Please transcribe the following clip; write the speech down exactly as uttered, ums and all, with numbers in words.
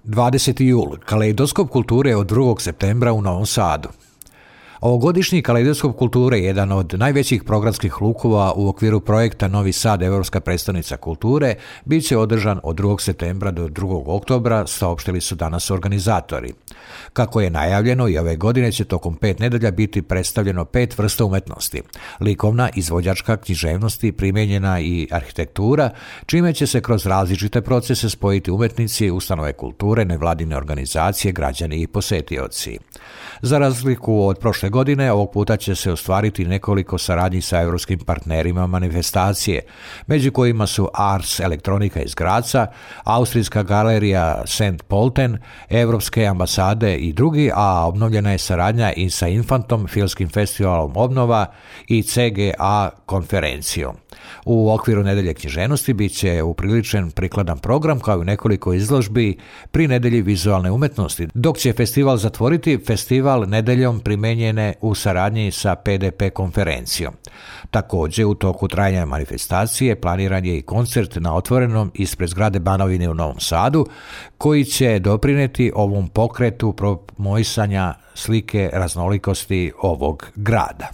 dvadeseti jul. Kaleidoskop kulture od drugog septembra u Novom Sadu. Ovogodišnji Kaleidoskop kulture je jedan od najvećih programskih lukova u okviru projekta Novi Sad, Evropska predstavnica kulture, bit će održan od drugog septembra do drugog oktobra, saopštili su danas organizatori. Kako je najavljeno, i ove godine će tokom pet nedelja biti predstavljeno pet vrsta umetnosti: likovna, izvođačka, književnosti, primenjena i arhitektura, čime će se kroz različite procese spojiti umetnici, ustanove kulture, nevladine organizacije, građani i posetioci. Za razliku od prošle godine, ovog puta će se ostvariti nekoliko saradnji sa evropskim partnerima manifestacije, među kojima su Ars Elektronika iz Graca, Austrijska galerija Saint Polten, Evropske ambasade i drugi, a obnovljena je saradnja i sa Infantom, Filmskim festivalom Obnova i C G A konferencijom. U okviru nedelje književnosti bit će upriličen prikladan program kao i nekoliko izložbi pri nedelji vizualne umetnosti, dok će festival zatvoriti festival nedeljom primenjene u saradnji sa P D P konferencijom. Također, u toku trajanja manifestacije planiran je i koncert na otvorenom ispred zgrade Banovine u Novom Sadu, koji će doprineti ovom pokretu promovisanja slike raznolikosti ovog grada.